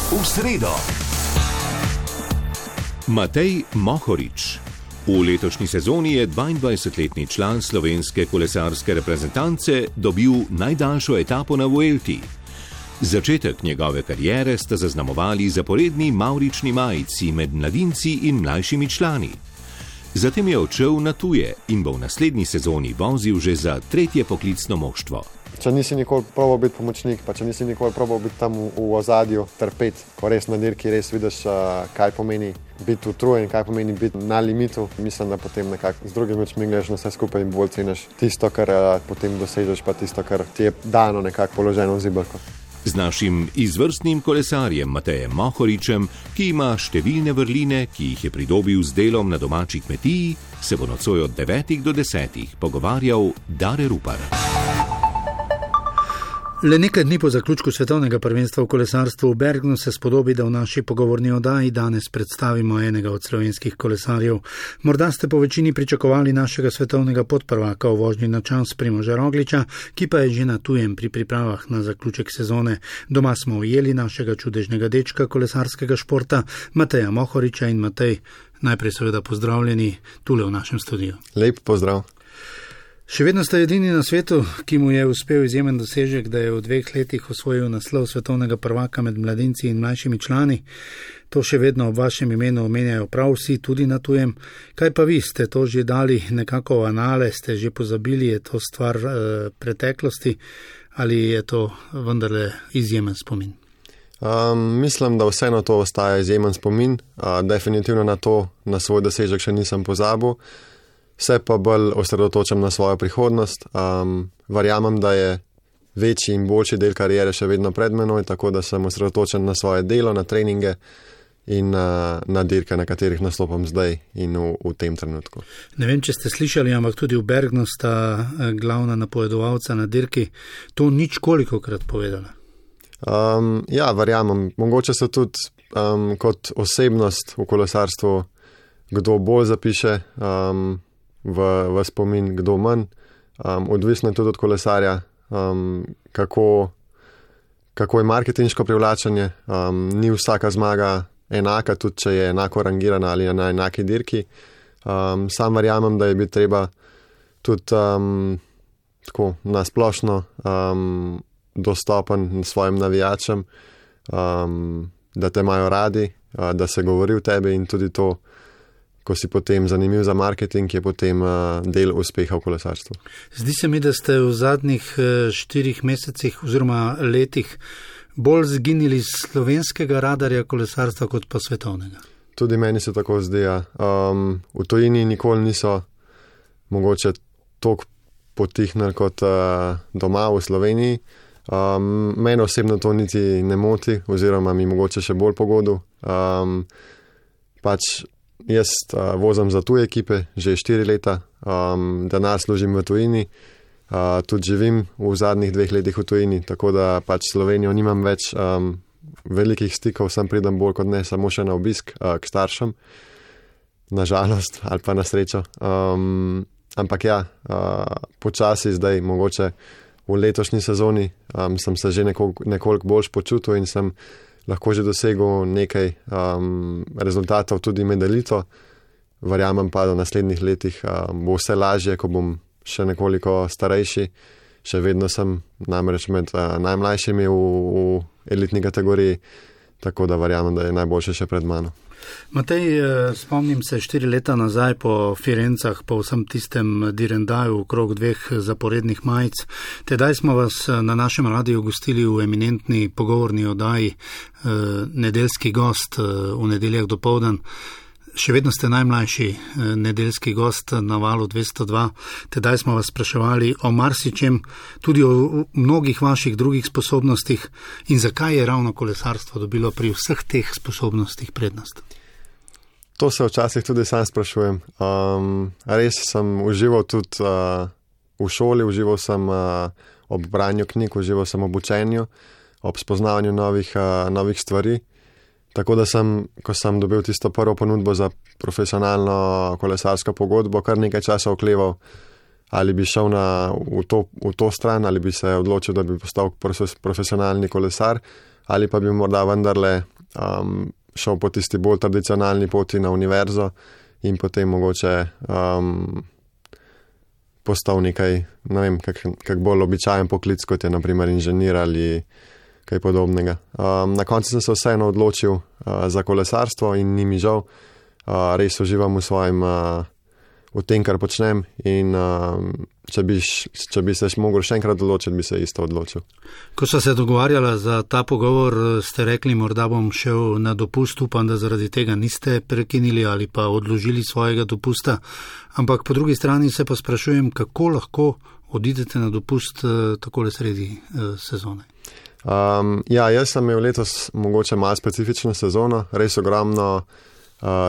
v sredo. Matej Mohorič. V letošnji sezoni je 22-letni član slovenske kolesarske reprezentance dobil najdaljšo etapo na Vuelti. Začetek njegove kariere sta zaznamovali zaporedni mavrični majici med mladinci in mlajšimi člani. Zatem je odšel na tuje in bo v naslednji sezoni vozil že za tretje poklicno moštvo. Če nisi nikoli probal biti pomočnik, pa če nisi nikoli probal biti tam v ozadju, trpeti, ko res na dirki res vidiš, kaj pomeni biti utrujen, kaj pomeni biti na limitu, mislim, da potem nekako z drugimi očmi gledaš na vse skupaj in bolj ceniš tisto, kar potem dosežeš, pa tisto, kar ti je dano nekako položeno v zibelko. Z našim izvrstnim kolesarjem Matejem Mohoričem, ki ima številne vrline, ki jih je pridobil z delom na domači kmetiji, se bo nocoj od 9 do 10 pogovarjal Dare Rupar. Le nekaj dni po zaključku svetovnega prvenstva v kolesarstvu v Bergnu se spodobi, da v naši pogovorni oddaji danes predstavimo enega od slovenskih kolesarjev. Morda ste po večini pričakovali našega svetovnega podprvaka v vožnji na čas Primoža Rogliča, ki pa je že na tujem pri pripravah na zaključek sezone. Doma smo ujeli našega čudežnega dečka kolesarskega športa, Mateja Mohoriča. In Matej, najprej seveda pozdravljeni tule v našem studiu. Lep pozdrav. Še vedno ste edini na svetu, ki mu je uspel izjemen dosežek, da je v 2 letih osvojil naslov svetovnega prvaka med mladinci in mlajšimi člani. To še vedno ob vašem imenu omenjajo prav vsi, tudi na tujem. Kaj pa vi, ste to že dali nekako v anale, ste že pozabili, je to stvar preteklosti ali je to vendarle izjemen spomin? Mislim, da vseeno to ostaja izjemen spomin. Definitivno na svoj dosežek še nisem pozabil. Se pa bolj osredotočam na svojo prihodnost. Verjamem, da je večji in boljši del kariere še vedno pred menoj, tako da sem osredotočen na svoje delo, na treninge in na dirke, na katerih nastopam zdaj in v tem trenutku. Ne vem, če ste slišali, ampak tudi v Bergnu sta glavna napovedovalca na dirki to nič kolikokrat povedala. Ja, verjamem. Mogoče so tudi kot osebnost v kolesarstvu kdo bolj zapiše v spomin, kdo manj. Odvisno je tudi od kolesarja, kako je marketinško privlačenje. Ni vsaka zmaga enaka, tudi če je enako rangirana ali na enaki dirki. Sam verjamem, da je bi treba tudi tako nasplošno dostopen svojim navijačem, da te imajo radi, da se govori o tebi in tudi to, ko si potem zanimiv za marketing, je potem del uspeha v kolesarstvu. Zdi se mi, da ste v zadnjih 4 mesecih oziroma letih bolj zginili z slovenskega radarja kolesarstva kot pa svetovnega. Tudi meni se tako zdi. V tujini nikoli niso mogoče toliko potihnili kot doma v Sloveniji. Mene osebno to niti ne moti oziroma mi mogoče še bolj pogodu. Jaz vozim za tuje ekipe že 4 leta, denar služim v tujini, tudi živim v zadnjih 2 letih v tujini, tako da Slovenijo nimam več velikih stikov, sem pridem bolj kot ne samo še na obisk k staršem, nažalost ali pa na srečo. Ampak ja, počasi zdaj, mogoče v letošnji sezoni sem se že nekoliko bolj počutil in sem lahko že dosegel nekaj rezultatov tudi med elito. Verjamem pa, da v naslednjih letih bo vse lažje, ko bom še nekoliko starejši. Še vedno sem namreč med najmlajšimi v elitni kategoriji, tako da verjamem, da je najboljše še pred mano. Matej, spomnim se 4 leta nazaj po Firencah, po vsem tistem direndaju okrog 2 zaporednih majic. Tedaj smo vas na našem radiju gostili v eminentni pogovorni oddaji Nedeljski gost v nedeljah dopoldan. Še vedno ste najmlajši nedeljski gost na valu 202. Tedaj smo vas spraševali o marsičem, tudi o mnogih vaših drugih sposobnostih in zakaj je ravno kolesarstvo dobilo pri vseh teh sposobnostih prednost. To se včasih tudi sam sprašujem. Res sem užival tudi v šoli, užival sem ob branju knjig, užival sem ob učenju, ob spoznavanju novih stvari. Tako da ko sem dobil tisto prvo ponudbo za profesionalno kolesarsko pogodbo, kar nekaj časa okleval, ali bi šel v to stran, ali bi se odločil, da bi postal profesionalni kolesar, ali pa bi morda vendarle šel po tisti bolj tradicionalni poti na univerzo in potem mogoče postal nekaj, ne vem, kak bolj običajen poklic, kot je naprimer inženir ali kaj podobnega. Na koncu sem se vseeno odločil za kolesarstvo in ni mi žal. Res uživam v tem, kar počnem in če bi se mogel še enkrat odločiti, bi se isto odločil. Ko so se dogovarjala za ta pogovor, ste rekli, morda bom šel na dopust, upam, da zaradi tega niste prekinili ali pa odložili svojega dopusta, ampak po drugi strani se pa sprašujem, kako lahko odidete na dopust takole sredi sezone. Jaz sem imel letos mogoče malo specifično sezono, res ogromno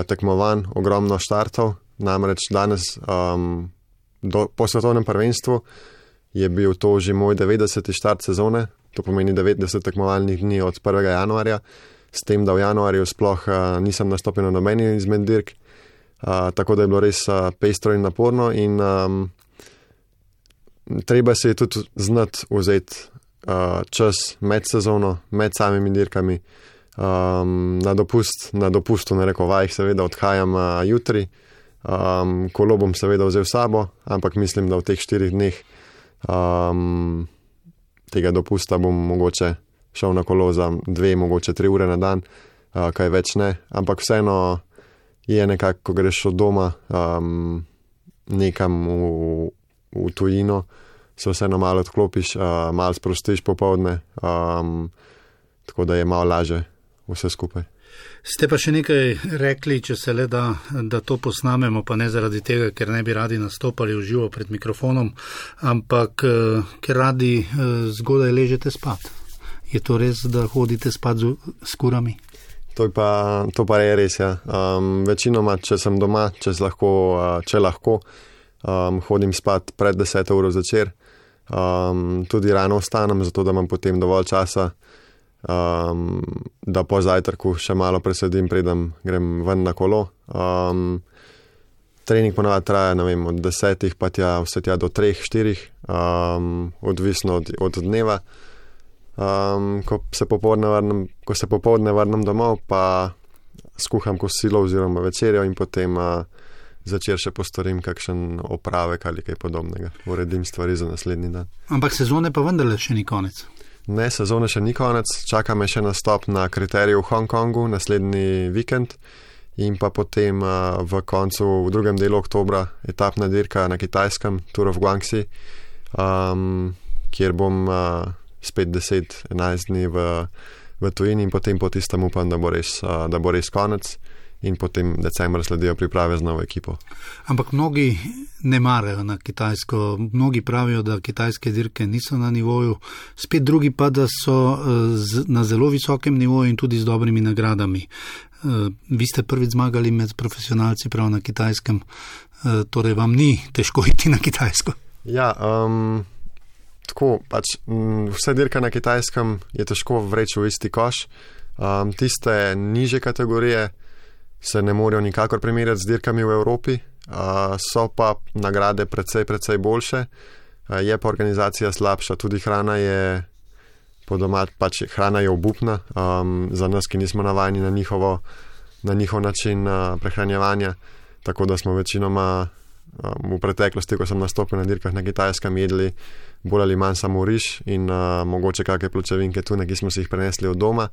tekmovanj, ogromno štartov, namreč danes po svetovnem prvenstvu je bil to že moj 90. štart sezone, to pomeni 90 tekmovalnih dni od 1. januarja, s tem, da v januarju sploh nisem nastopil na nobeni izmed dirk, tako da je bilo res pestro in naporno in treba se je tudi znati vzeti čas med sezono, med samimi dirkami. Na dopustu na rekovajih seveda odhajam jutri, kolo bom seveda vzel sabo, ampak mislim, da v teh 4 dneh tega dopusta bom mogoče šel na kolo za 2, mogoče 3 ure na dan, kaj več ne, ampak vseeno je nekako, ko greš od doma nekam v tujino, se vseeno malo odklopiš, malo sprostiš popoldne, tako da je malo lažje vse skupaj. Ste pa še nekaj rekli, če se le da to posnamemo, pa ne zaradi tega, ker ne bi radi nastopali v živo pred mikrofonom, ampak ker radi zgodaj ležete spat. Je to res, da hodite spat s kurami? To pa je res, ja. Večinoma, če sem doma, če lahko, hodim spat pred 10. uro zvečer. Tudi rano vstanem, zato da imam potem dovolj časa, da po zajtrku še malo presedim, preden grem ven na kolo. Trening ponavadi traja, ne vem, od 10 pa vse tja do 3-4, odvisno od dneva. Ko se popoldne vrnem domov, pa skuham kosilo oziroma večerjo in potem začer še postorim kakšen opravek ali kaj podobnega. Uredim stvari za naslednji dan. Ampak sezone pa vendarle še ni konec. Ne, sezone še ni konec, čaka me še nastop na kriteriju v Hongkongu naslednji vikend in pa potem v drugem delu oktobra etapna dirka na Kitajskem, Tour of Guangxi, kjer bom spet 10-11 dni v tujini in potem po tistem upam, da bo res konec in potem decembra sledijo priprave z novo ekipo. Ampak mnogi ne marajo na Kitajsko, mnogi pravijo, da kitajske dirke niso na nivoju, spet drugi pa, da so na zelo visokem nivoju in tudi z dobrimi nagradami. Vi ste prvič zmagali med profesionalci prav na Kitajskem, torej vam ni težko iti na Kitajsko? Ja, tako, pač vse dirka na Kitajskem je težko vreči v isti koš. Tiste nižje kategorije se ne morejo nikakor primerjati z dirkami v Evropi, so pa nagrade precej boljše, je pa organizacija slabša, tudi hrana je hrana je obupna, za nas, ki nismo navajeni na njihov način prehranjevanja, tako da smo večinoma v preteklosti, ko sem nastopil na dirkah na Kitajskem, jedli bolj ali manj samo riž in mogoče kakšne pločevinke tune, ki smo si jih prenesli od doma.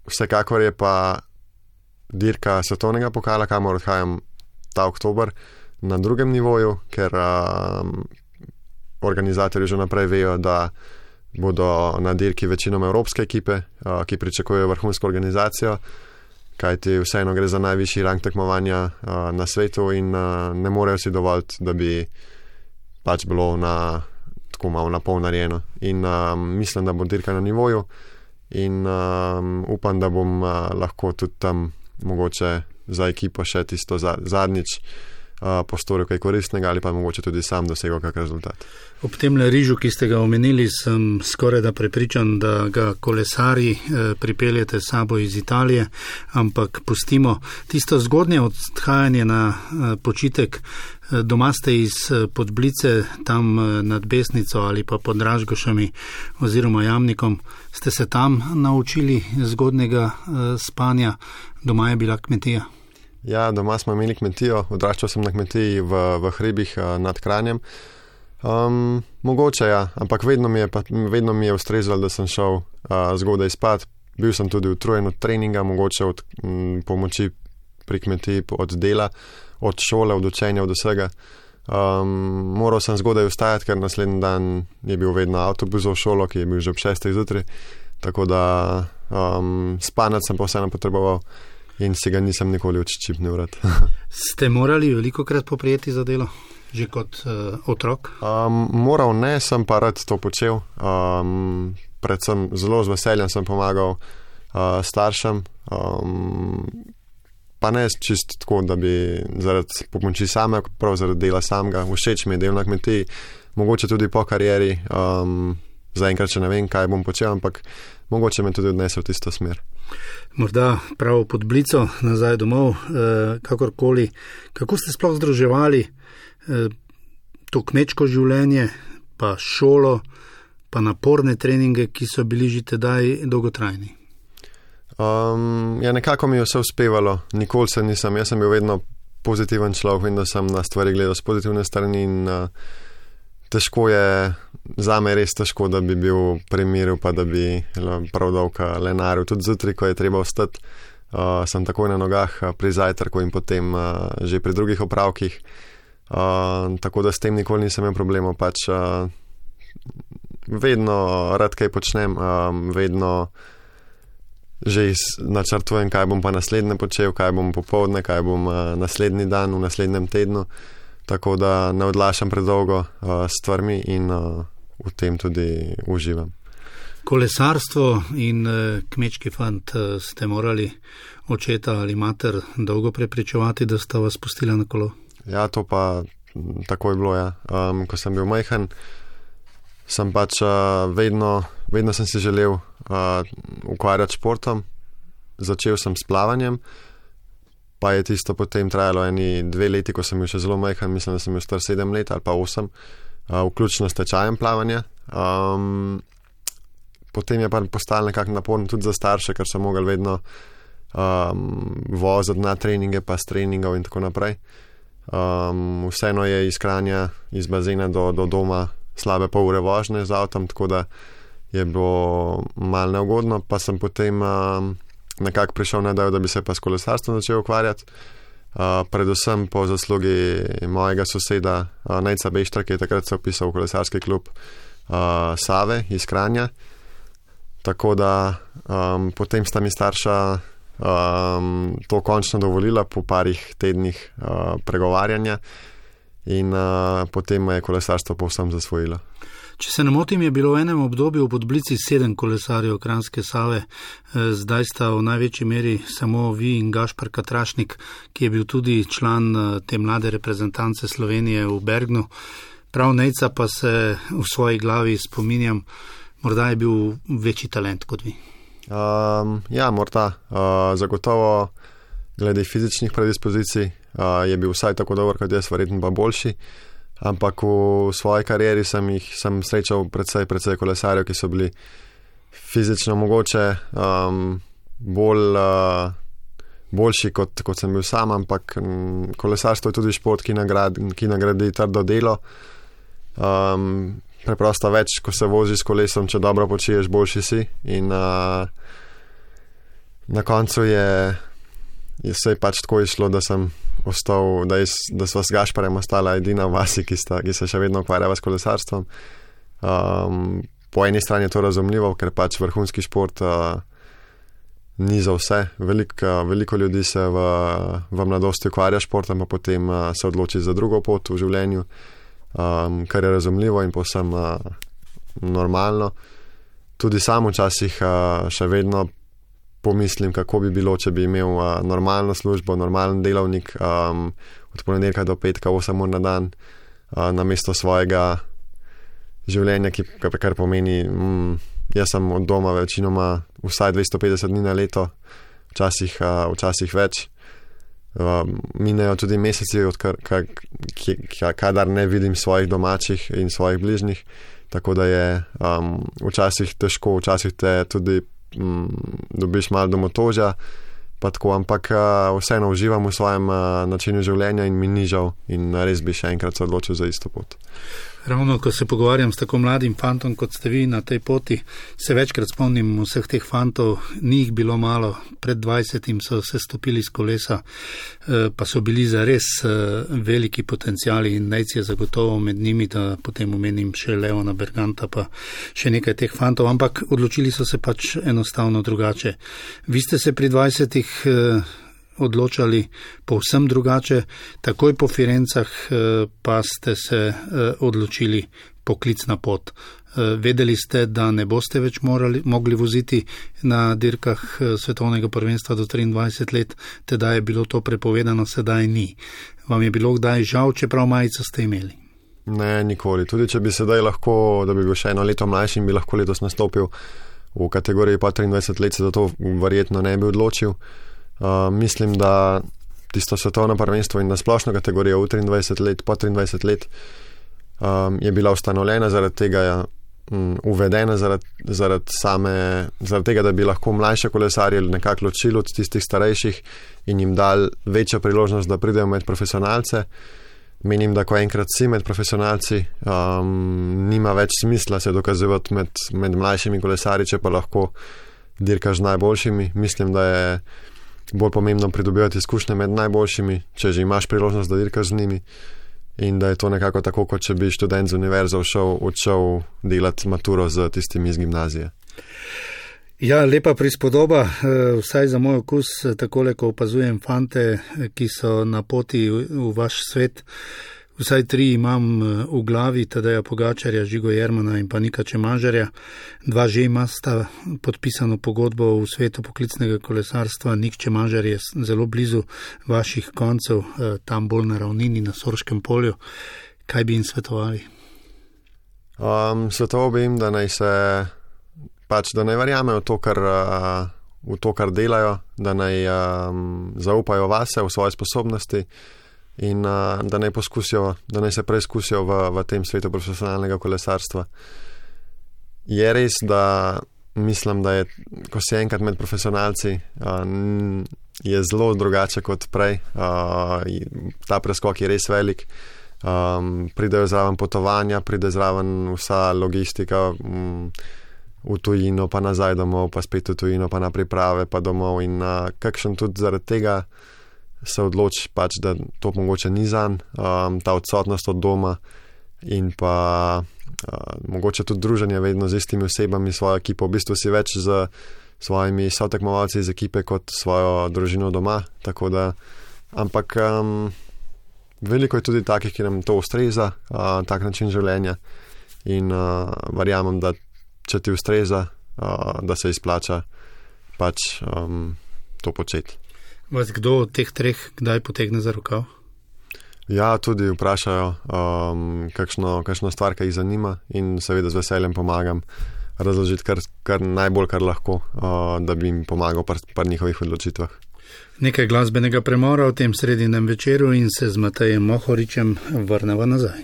Vsekakor je pa dirka svetovnega pokala, kamor odhajam ta oktober, na drugem nivoju, ker organizatorji že naprej vejo, da bodo na dirki večinoma evropske ekipe, ki pričakujejo vrhunsko organizacijo, kajti vseeno gre za najvišji rang tekmovanja na svetu in ne morejo si dovoliti, da bi pač bilo tako malo na pol narejeno. In mislim, da bo dirka na nivoju in upam, da bom lahko tudi tam mogoče za ekipo še tisto zadnjič postoril kaj koristnega ali pa mogoče tudi sam dosegel kak rezultat. Ob tem rižu, ki ste ga omenili, sem skoraj da prepričan, da ga kolesari pripeljete sabo iz Italije, ampak pustimo tisto zgodnje odhajanje na počitek. Doma ste iz Podblice, tam nad Besnico ali pa pod Dražgošami oziroma Jamnikom. Ste se tam naučili zgodnega spanja? Doma je bila kmetija? Ja, doma smo imeli kmetijo, odraščal sem na kmetiji v hribih nad Kranjem. Mogoče ja, ampak vedno mi je ustrezalo, da sem šel zgodaj spat. Bil sem tudi utrujen od treninga, mogoče od pomoči pri kmetiji, od dela, od šole, od učenja, od vsega. Moral sem zgodaj vstajati, ker naslednji dan je bil vedno avtobus v šolo, ki je bil že ob 6. zjutraj. Tako da spanec sem pa vseeno potreboval in si ga nisem nikoli odščipnil vrat. Ste morali velikokrat poprijeti za delo, že kot otrok? Moral ne, sem pa rad to počel. Predvsem zelo z veseljem sem pomagal staršem, pa ne čist tako, da bi zaradi pomoči same, prav zaradi dela samega. Všeč mi je del na kmetiji, mogoče tudi po karieri. Zaenkrat še ne vem, kaj bom počel, ampak mogoče me tudi odnesel v tisto smer. Morda prav pod Blico, nazaj domov, kakorkoli. Kako ste sploh združevali to kmečko življenje, pa šolo, pa naporne treninge, ki so bili že tedaj dolgotrajni? Ja, nekako mi je vse uspevalo. Nikoli se nisem, jaz sem bil vedno pozitiven človek, vedno sem na stvari gledal z pozitivne strani in težko je, zame je res težko, da bi bil primiril, pa da bi prav dolgo lenaril. Tudi zjutraj, ko je treba vstati, sem takoj na nogah pri zajtrku in potem že pri drugih opravkih. Tako da s tem nikoli nisem imel problemov. Pač vedno rad kaj počnem, vedno že načrtujem, kaj bom pa naslednje počel, kaj bom popoldne, kaj bom naslednji dan, v naslednjem tednu. Tako da ne odlašam predolgo stvarmi in v tem tudi uživam. Kolesarstvo in kmečki fant ste morali očeta ali mater dolgo prepričevati, da sta vas pustila na kolo? Ja, to pa tako je bilo, ja. Ko sem bil majhen, sem pač vedno sem si želel ukvarjati športom. Začel sem s plavanjem, pa je tisto potem trajalo 2 leti, ko sem bil še zelo majhen, mislim, da sem bil star 7 let ali pa 8, vključno s tečajem plavanja. Potem je pa postalo nekako naporno tudi za starše, ker so mogli vedno voziti na treninge, pa s treningov in tako naprej. Vseeno je iz Kranja, iz bazena do doma slabe pol ure vožnje z avtom, tako da je bilo malo neugodno, pa sem potem nekako prišel na idejo, da bi se pa s kolesarstvom začel ukvarjati. Predvsem po zaslugi mojega soseda Nejca Beštra, ki je takrat se vpisal v kolesarski klub Save iz Kranja. Tako da potem sta mi starša to končno dovolila po parih tednih pregovarjanja in potem me je kolesarstvo povsem zasvojilo. Če se ne motim, je bilo v enem obdobju v Podblici 7 kolesarjev Kranjske Save, zdaj sta v največji meri samo vi in Gašper Katrašnik, ki je bil tudi član te mlade reprezentance Slovenije v Bergnu. Prav Nejca pa se v svoji glavi spominjam, morda je bil večji talent kot vi. Ja, morda. Zagotovo glede fizičnih predispozicij je bil vsaj tako dober kot jaz, verjetno pa boljši. Ampak v svoji karieri sem srečal precej kolesarjev, ki so bili fizično mogoče boljši kot sem bil sam, ampak kolesarstvo je tudi šport, ki nagradi trdo delo. Preprosto več, ko se voziš s kolesom, če dobro počiješ, boljši si. In na koncu je se pač tako išlo, da sem ostal, da sva s Gašparjem ostala edina v vasi, ki se še vedno ukvarjava s kolesarstvom. Po eni strani je to razumljivo, ker pač vrhunski šport ni za vse. Veliko ljudi se v mladosti ukvarja športom, pa potem se odloči za drugo pot v življenju, kar je razumljivo in povsem normalno. Tudi sam včasih še vedno pomislim, kako bi bilo, če bi imel normalno službo, normalen delovnik. od ponedeljka do petka 8 ur na dan, namesto svojega življenja, kar pomeni, jaz sem od doma večinoma vsaj 250 dni na leto, včasih več. Minejo tudi meseci, kadar ne vidim svojih domačih in svojih bližnjih, tako da je včasih težko, včasih te tudi dobiš malo domotožja, pa tako, ampak vseeno uživam v svojem načinu življenja in mi ni žal in res bi še enkrat se odločil za isto pot. Ravno, ko se pogovarjam s tako mladim fantom, kot ste vi na tej poti, se večkrat spomnim vseh teh fantov, ni jih bilo malo, pred 20 so se stopili z kolesa, pa so bili zares veliki potenciali in Nejc je zagotovo med njimi, da potem omenim še Leona Berganta, pa še nekaj teh fantov, ampak odločili so se pač enostavno drugače. Vi ste se pri 20 odločali povsem drugače, takoj po Firencah pa ste se odločili poklicna pot. Vedeli ste, da ne boste več mogli voziti na dirkah svetovnega prvenstva do 23 let, teda je bilo to prepovedano, sedaj ni. Vam je bilo kdaj žal, čeprav majico ste imeli? Ne, nikoli. Tudi če bi sedaj lahko, da bi bil še eno leto mlajši in bi lahko letos nastopil v kategoriji pa 23 let, se za to verjetno ne bi odločil. Mislim, da tisto svetovno prvenstvo in na splošno kategorijo v 23 let, po 23 let je bila ustanovljena zaradi tega, uvedena zaradi tega, da bi lahko mlajše kolesarje nekako ločili od tistih starejših in jim dali večjo priložnost, da pridejo med profesionalce. Menim, da ko enkrat si med profesionalci, nima več smisla se dokazivati med mlajšimi kolesarji, če pa lahko dirkaš z najboljšimi. Mislim, da je bolj pomembno pridobivati izkušnje med najboljšimi, če že imaš priložnost, da dirkaš z njimi, in da je to nekako tako, kot če bi študent z univerze odšel delati maturo z tistimi iz gimnazije. Ja, lepa prispodoba, vsaj za moj okus, takole, ko opazujem fante, ki so na poti v vaš svet. Vsaj 3 imam v glavi, Tadeja Pogačarja, Žigo Jermana in pa Nika Čemažarja. 2 že ima sta podpisano pogodbo v svetu poklicnega kolesarstva. Nik Čemažar je zelo blizu vaših koncev, tam bolj na ravnini, na Sorškem polju. Kaj bi jim svetovali? Svetoval bi jim, da naj verjamejo v to, kar delajo, da naj zaupajo vase, v svoje sposobnosti, in da naj se preizkusijo v tem svetu profesionalnega kolesarstva. Je res, da mislim, da je, ko si enkrat med profesionalci, je zelo drugače kot prej. Ta preskok je res velik. Pridejo zraven potovanja, pride zraven vsa logistika v tujino, pa nazaj domov, pa spet v tujino, pa na priprave, pa domov, in kakšen tudi zaradi tega se odloči pač, da to mogoče ni zanj, ta odsotnost od doma in pa mogoče tudi druženje vedno z istimi osebami, svojo ekipo, v bistvu si več z svojimi sotekmovalci iz ekipe kot svojo družino doma, tako da, ampak veliko je tudi takih, ki nam to ustreza, tak način življenja, in verjamem, da če ti ustreza, da se izplača pač to početi. Vas kdo od teh 3 kdaj potegne za rokav? Ja, tudi vprašajo kakšno stvar, ki jih zanima, in seveda z veseljem pomagam razložiti kar najbolj, kar lahko, da bi jim pomagal pri njihovih odločitvah. Nekaj glasbenega premora v tem sredinem večeru in se z Matejem Mohoričem vrneva nazaj.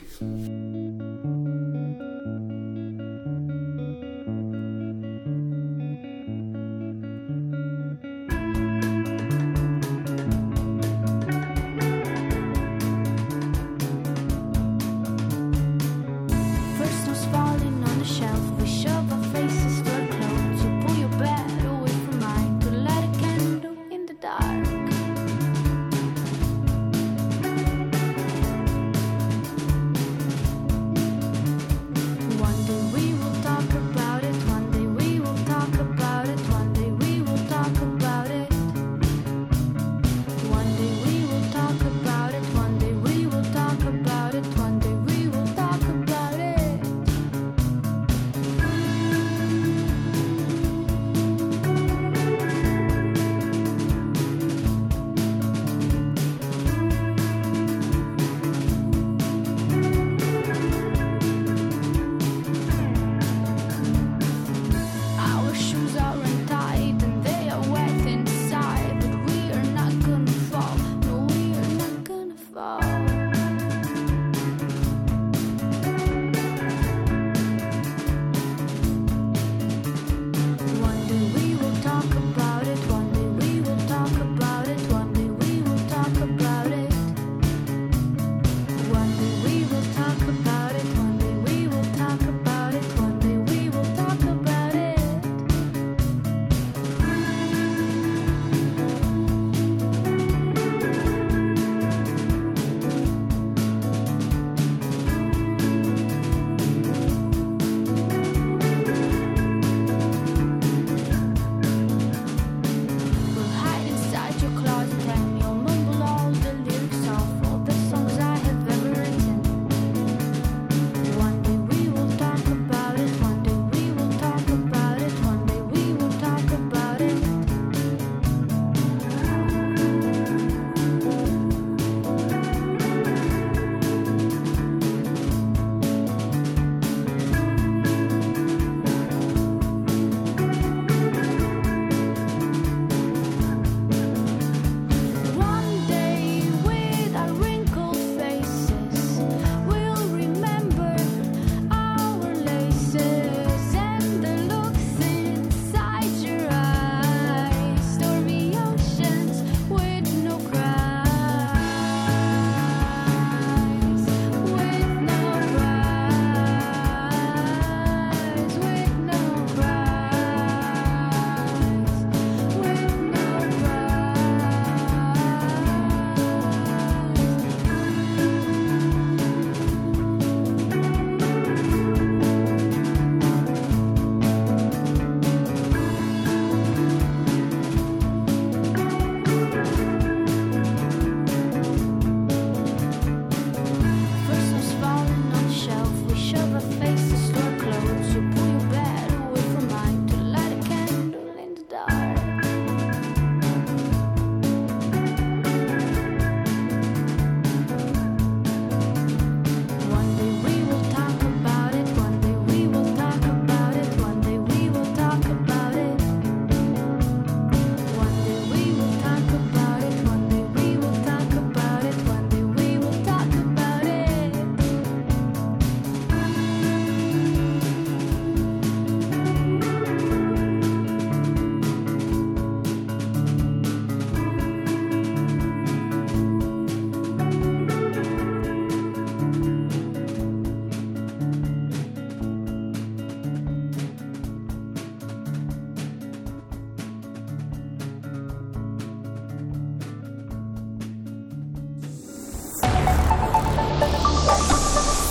Dark.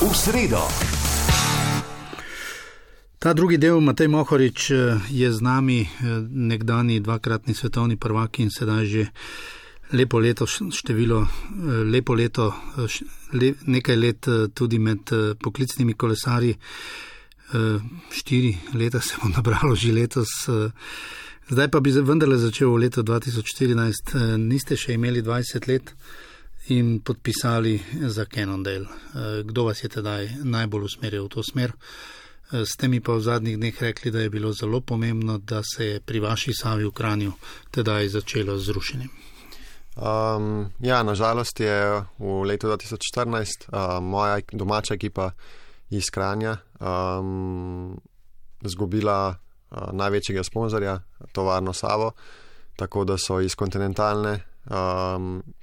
v sredo. Ta drugi del, Matej Mohorič, je z nami, nekdani dvakratni svetovni prvak in sedaj že nekaj let tudi med poklicnimi kolesarji. 4 leta se bo nabralo že letos. Zdaj pa bi vendarle začel v letu 2014. Niste še imeli 20 let in podpisali za Cannondale. Kdo vas je tedaj najbolj usmeril v to smer? Ste mi pa v zadnjih dneh rekli, da je bilo zelo pomembno, da se je pri vaši Savi v Kranju tedaj začelo z rušenjem. Nažalost je v letu 2014 moja domača ekipa iz Kranja izgubila največjega sponzorja, tovarno Savo, tako da so iz kontinentalne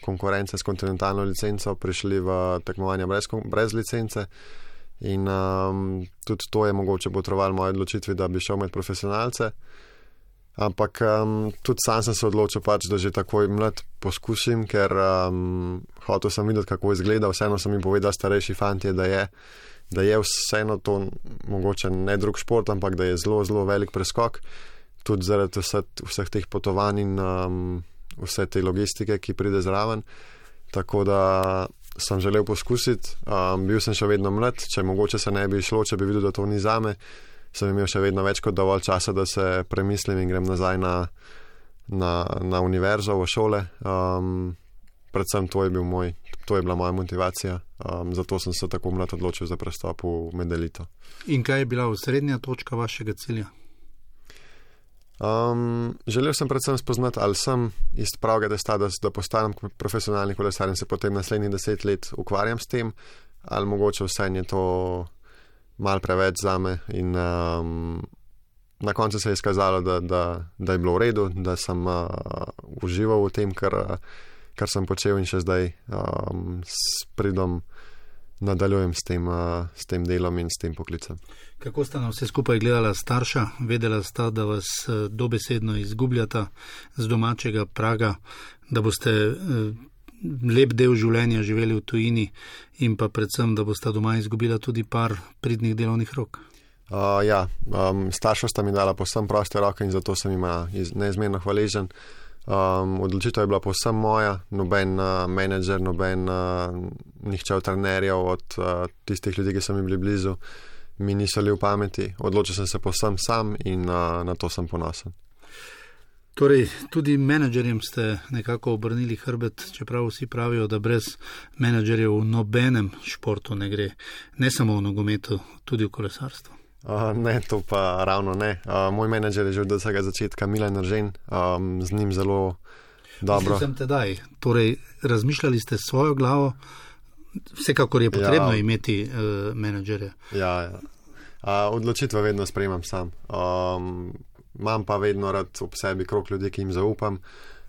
konkurence s kontinentalno licenco prišli v tekmovanja brez licence. In tudi to je mogoče potrovalo moje odločitvi, da bi šel med profesionalce. Ampak tudi sam sem se odločil, da že takoj mlad poskusim, ker hotel sem videti, kako izgleda. Vseeno so mi povedali starejši fantje, da je vseeno to mogoče ne drug šport, ampak da je zelo, zelo velik preskok. Tudi zaradi vseh teh potovanj in vse te logistike, ki pride zraven. Tako da sem želel poskusiti, bil sem še vedno mlad, če mogoče se ne bi šlo, če bi videl, da to ni zame, sem imel še vedno več kot dovolj časa, da se premislim in grem nazaj na univerzo, v šole. Predvsem to je bila moja motivacija, zato sem se tako mlad odločil za prestop v med-elito. In kaj je bila osrednja točka vašega cilja? Želel sem predvsem spoznati, ali sem iz pravega testa, da postanem profesionalni kolesar in se potem naslednjih 10 let ukvarjam s tem, ali mogoče vse je to malo preveč zame. In na koncu se je izkazalo, da je bilo v redu, da sem užival v tem, kar sem počel in še zdaj s pridom nadaljujem s tem delom in s tem poklicem. Kako sta na vse skupaj gledala starša? Vedela sta, da vas dobesedno izgubljata z domačega praga, da boste lep del življenja živeli v tujini in pa predvsem, da boste doma izgubila tudi par pridnih delovnih rok? Starša sta mi dala povsem proste roke in zato sem jima neizmerno hvaležen. Odločitev je bila povsem moja, noben menedžer, nihče od trenerjev, od tistih ljudi, ki so mi bili blizu, mi niso li v pameti. Odločil sem se povsem sam in na to sem ponosen. Torej, tudi menedžerjem ste nekako obrnili hrbet, čeprav vsi pravijo, da brez menedžerjev v nobenem športu ne gre, ne samo v nogometu, tudi v kolesarstvu. Ne, to pa ravno ne. Moj menedžer je že od vsega začetka Milan Eržen, z njim zelo dobro. Sem tedaj, torej razmišljali ste svojo glavo, vsekakor je potrebno imeti menedžerja. Odločitve vedno sprejemam sam. Imam pa vedno rad ob sebi krog ljudi, ki jim zaupam,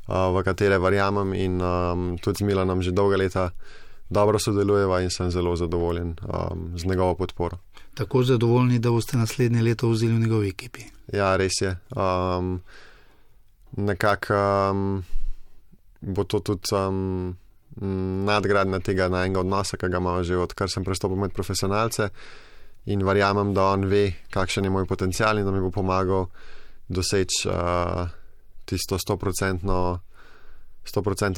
v katere verjamem in tudi z Milanom že dolga leta dobro sodelujeva in sem zelo zadovoljen z njegovo podporo. Tako zadovoljni, da boste naslednje leto vzeli v njegovi ekipi? Ja, res je. Nekako bo to tudi nadgradnja tega najnega odnosa, ki ga imamo že odkar sem prestopil med profesionalce in verjamem, da on ve, kakšen je moj potencial in da mi bo pomagal doseči tisto 100%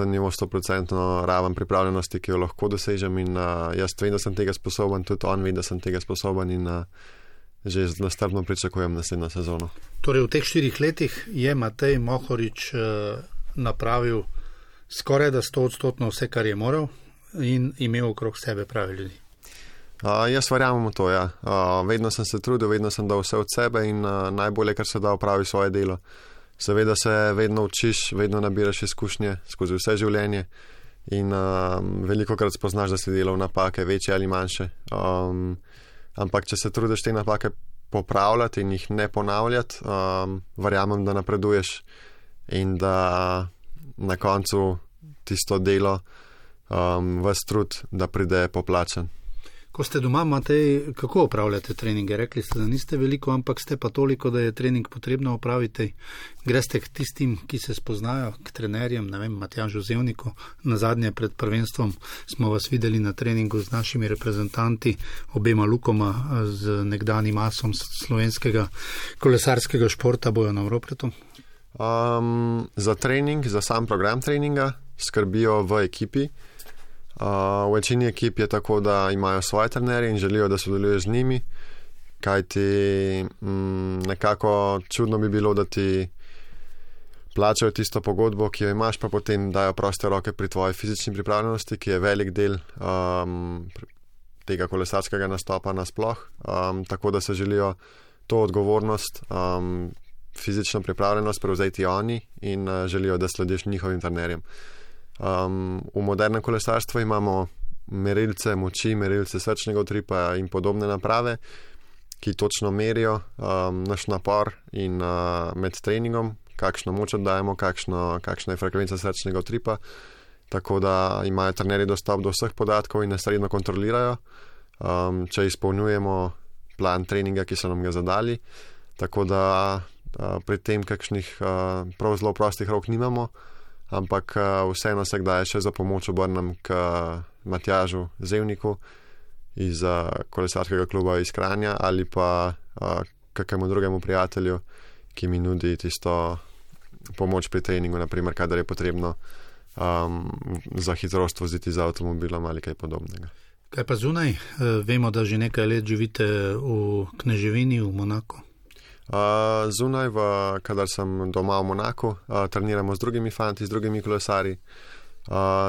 nivo, 100% raven pripravljenosti, ki jo lahko dosežem in jaz vem, da sem tega sposoben, tudi on ve, da sem tega sposoben in že nastrpno pričakujem naslednjo sezono. Torej v teh 4 letih je Matej Mohorič napravil skoraj da 100% vse, kar je moral in imel okrog sebe pravi ljudi. Jaz verjamem v to, ja. Vedno sem se trudil, vedno sem dal vse od sebe in najbolje, kar se da, opravi svoje delo. Seveda se vedno učiš, vedno nabiraš izkušnje skozi vse življenje in velikokrat spoznaš, da si delal napake, večje ali manjše. Ampak če se trudiš te napake popravljati in jih ne ponavljati, verjamem, da napreduješ in da na koncu tisto delo, vas trud, da pride poplačan. Ko ste doma, Matej, kako opravljate treninge? Rekli ste, da niste veliko, ampak ste pa toliko, da je trening potrebno opraviti. Greste k tistim, ki se spoznajo, k trenerjem, ne vem, Matjažu Zevniku. Nazadnje pred prvenstvom smo vas videli na treningu z našimi reprezentanti, obema Lukoma, z nekdanjim asom slovenskega kolesarskega športa Bojanom Ropretom. Za trening, za sam program treninga skrbijo v ekipi. V večini ekip je tako, da imajo svoje trenerje in želijo, da sodeluješ z njimi, kajti nekako čudno bi bilo, da ti plačajo tisto pogodbo, ki jo imaš, pa potem dajo proste roke pri tvoji fizični pripravljenosti, ki je velik del tega kolesarskega nastopa nasploh, tako da se želijo to odgovornost, fizično pripravljenost prevzeti oni in želijo, da slediš njihovim trenerjem. V modernem kolesarstvu imamo merilce moči, merilce srčnega utripa in podobne naprave, ki točno merijo naš napor in med treningom, kakšno moč oddajemo, kakšna je frekvenca srčnega utripa, tako da imajo trenerji dostop do vseh podatkov in nas redno kontrolirajo, če izpolnjujemo plan treninga, ki so nam ga zadali, tako da pri tem kakšnih prav zelo prostih rok nimamo, ampak vseeno se kdaj še za pomoč obrnem k Matjažu Zevniku iz kolesarskega kluba iz Kranja ali pa kakemu drugemu prijatelju, ki mi nudi tisto pomoč pri treningu, naprimer, kadar je potrebno za hitrost voziti z avtomobilom ali kaj podobnega. Kaj pa zunaj? Vemo, da že nekaj let živite v Kneževini, v Monaku. Zunaj, kadar sem doma v Monaku, treniramo z drugimi fanti, z drugimi kolesarji.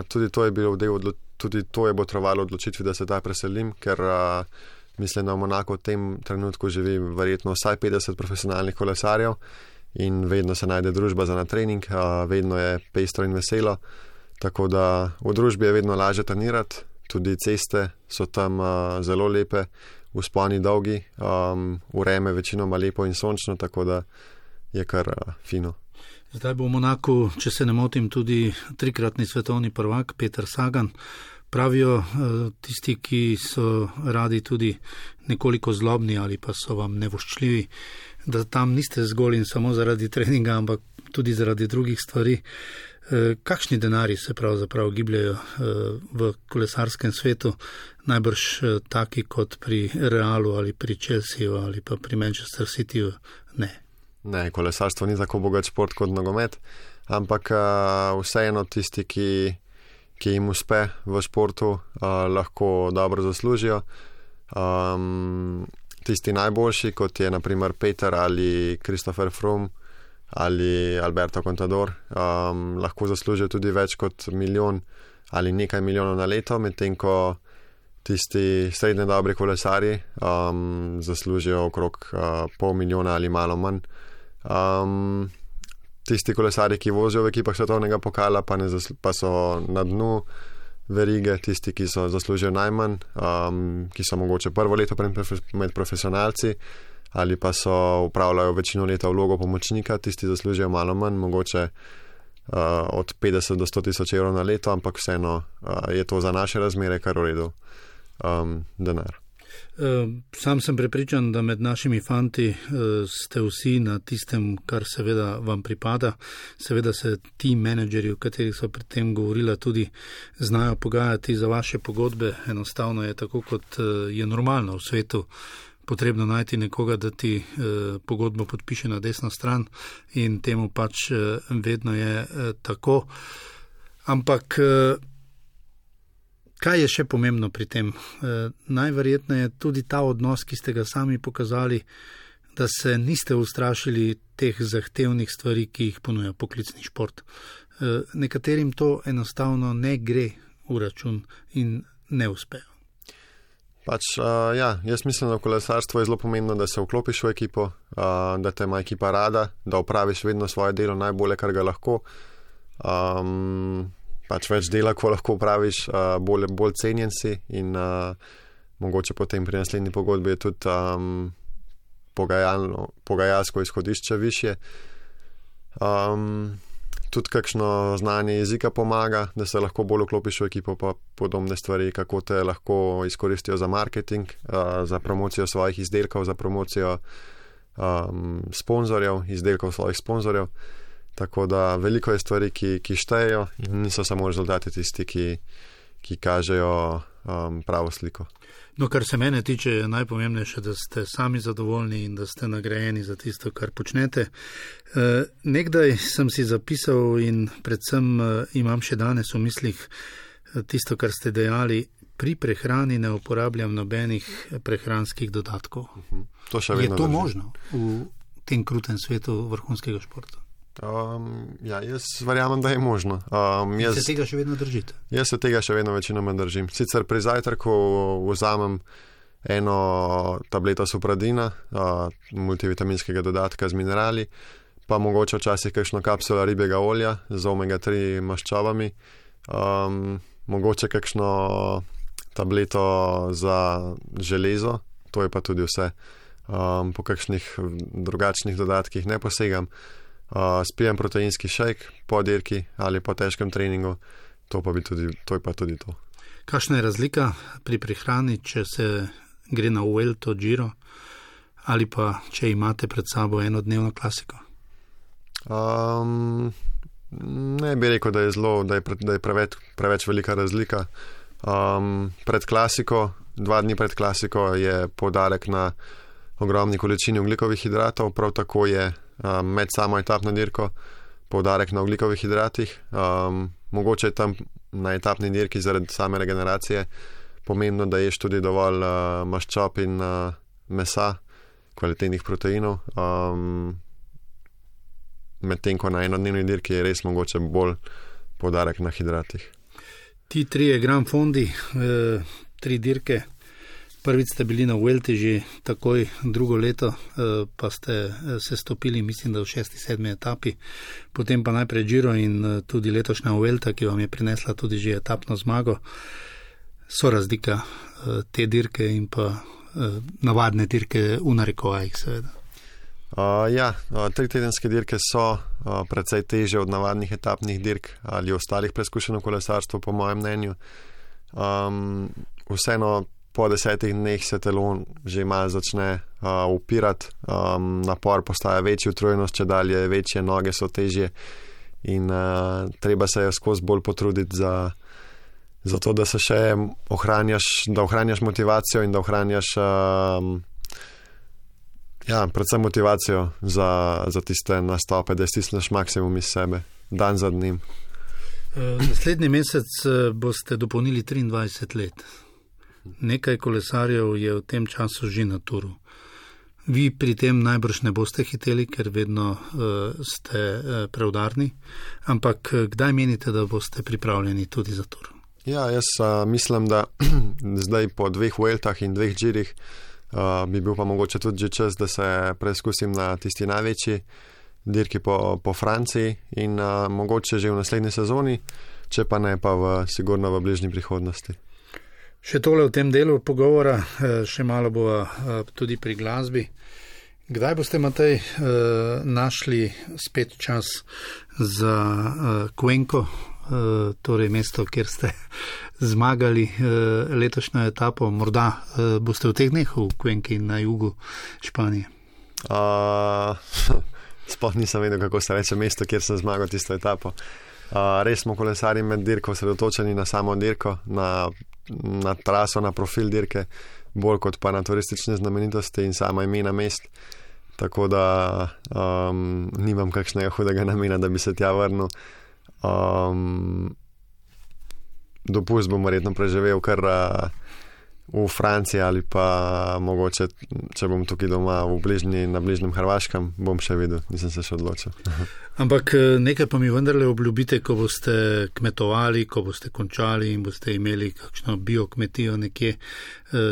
Tudi to je botrovalo odločitvi, da se taj preselim, ker mislim, da v Monaku v tem trenutku živi verjetno vsaj 50 profesionalnih kolesarjev in vedno se najde družba za na trening, vedno je pestro in veselo, tako da v družbi je vedno lažje trenirati, tudi ceste so tam zelo lepe, vzponi dolgi, vreme večinoma lepo in sončno, tako da je kar fino. Zdaj bo v Monaku, če se ne motim, tudi trikratni svetovni prvak Peter Sagan. Pravijo tisti, ki so radi tudi nekoliko zlobni ali pa so vam nevoščljivi, da tam niste zgolj in samo zaradi treninga, ampak tudi zaradi drugih stvari. Kakšni denari se pravzaprav gibljajo v kolesarskem svetu, najbrž taki kot pri Realu ali pri Chelseaju ali pa pri Manchester Cityju? Ne, kolesarstvo ni tako bogat šport kot nogomet, ampak vseeno tisti, ki jim uspe v športu, lahko dobro zaslužijo. Tisti najboljši, kot je naprimer Peter ali Christopher Froome ali Alberto Contador, lahko zaslužijo tudi več kot 1 milijon ali nekaj milijonov na leto, medtem ko tisti srednje dobri kolesarji zaslužijo okrog 500 milijona ali malo manj. Tisti kolesarji, ki vozijo v ekipah svetovnega pokala, pa so na dnu verige, tisti, ki so zaslužijo najmanj, ki so mogoče prvo leto med profesionalci ali pa so upravljajo večino leta vlogo pomočnika, tisti zaslužijo malo manj, mogoče od 50 do 100 tisoč evrov na leto, ampak vseeno je to za naše razmere kar v redu denar. Sam sem prepričan, da med našimi fanti ste vsi na tistem, kar seveda vam pripada. Seveda se ti menedžeri, o katerih so pred tem govorila, tudi znajo pogajati za vaše pogodbe. Enostavno je tako, kot je normalno v svetu, potrebno najti nekoga, da ti pogodbo podpiše na desno stran in temu pač vedno je tako. Ampak kaj je še pomembno pri tem? Najverjetneje tudi ta odnos, ki ste ga sami pokazali, da se niste ustrašili teh zahtevnih stvari, ki jih ponuja poklicni šport. Nekaterim to enostavno ne gre v račun in ne uspejo. Jaz mislim, da v kolesarstvu je zelo pomembno, da se vklopiš v ekipo, da te ima ekipa rada, da opraviš vedno svoje delo najbolje, kar ga lahko. Več dela, ko lahko opraviš, bolj cenjen si in mogoče potem pri naslednji pogodbi je tudi pogajalsko izhodišče višje. tudi kakšno znanje jezika pomaga, da se lahko bolj vklopiš v ekipo, pa podobne stvari, kako te lahko izkoristijo za marketing, za promocijo svojih izdelkov, za promocijo sponzorjev, izdelkov svojih sponzorjev. Tako da veliko je stvari, ki štejejo in niso samo rezultati tisti, ki kažejo pravo sliko. No, kar se mene tiče, je najpomembnejše, da ste sami zadovoljni in da ste nagrajeni za tisto, kar počnete. Nekdaj sem si zapisal in predvsem imam še danes v mislih tisto, kar ste dejali, pri prehrani ne uporabljam nobenih prehranskih dodatkov. Je to možno v tem krutem svetu vrhunskega športa? Jaz verjamem, da je možno. Se tega še vedno držite? Jaz se tega še vedno večinoma držim. Sicer pri zajtrku vzamem eno tableto supradina, multivitaminskega dodatka z minerali, pa mogoče včasih kakšno kapsulo ribjega olja z omega-3 maščobami, mogoče kakšno tableto za železo, to je pa tudi vse. Po kakšnih drugačnih dodatkih ne posegam. Spijem proteinski šejk po dirki ali po težkem treningu, to je pa tudi to. Kakšna je razlika pri prehrani, če se gre na Vuelto, Giro ali pa če imate pred sabo enodnevno klasiko? Ne bi rekel, da je preveč velika razlika. Pred klasiko, 2 dni pred klasiko je poudarek na ogromni količini ogljikovih hidratov, prav tako je med samo etapno dirko poudarek na ogljikovih hidratih. Mogoče je tam na etapni dirki zaradi same regeneracije pomembno, da ješ tudi dovolj maščob in mesa, kvalitetnih proteinov. Medtem ko na enodnevni dirki je res mogoče bolj poudarek na hidratih. Ti 3 Gran Fondi, 3 dirke. Prvič ste bili na Vuelti že takoj, drugo leto pa ste se stopili, mislim, da v 6., 7. etapi, potem pa najprej Giro in tudi letošnja Vuelta, ki vam je prinesla tudi že etapno zmago. So razlika te dirke in pa navadne dirke v narekovajih, seveda? 3-tedenske dirke so precej teže od navadnih etapnih dirk ali ostalih preizkušenj v kolesarstvu, po mojem mnenju. Vseeno po 10 dneh se telo že malo začne upirati, napor postaja večji, utrujenost če dalje večje, noge so težje in treba se je skozi bolj potruditi za to, da se še ohranjaš motivacijo in da ohranjaš predvsem motivacijo za tiste nastope, da stisneš maksimum iz sebe, dan za dnem. Naslednji mesec boste dopolnili 23 let. Nekaj kolesarjev je v tem času že na turu. Vi pri tem najbrž ne boste hiteli, ker vedno ste preudarni, ampak kdaj menite, da boste pripravljeni tudi za tur? Jaz mislim, da zdaj po 2 Vueltah in 2 Girih bi bil pa mogoče tudi že čas, da se preizkusim na tisti največji dirki po Franciji in mogoče že v naslednji sezoni, če pa ne, pa sigurno v bližnji prihodnosti. Še tole v tem delu pogovora, še malo bova tudi pri glasbi. Kdaj boste, Matej, našli spet čas za Cuenco, torej mesto, kjer ste zmagali letošnjo etapo? Morda boste v teh dneh v Cuenki na jugu Španije? Sploh nisem vedel, kako se reče mesto, kjer sem zmagal tisto etapo. Res smo kolesarji med dirko osredotočeni na samo dirko, na traso, na profil dirke, bolj kot pa na turistične znamenitosti in sama imena mest. Tako da nimam kakšnega hudega namena, da bi se tja vrnil. Dopust bom verjetno preživel kar v Franciji ali pa mogoče, če bom tukaj doma na bližnjem Hrvaškem, bom še videl, nisem se še odločil. Ampak nekaj pa mi vendarle obljubite, ko boste kmetovali, ko boste končali in boste imeli kakšno biokmetijo nekje.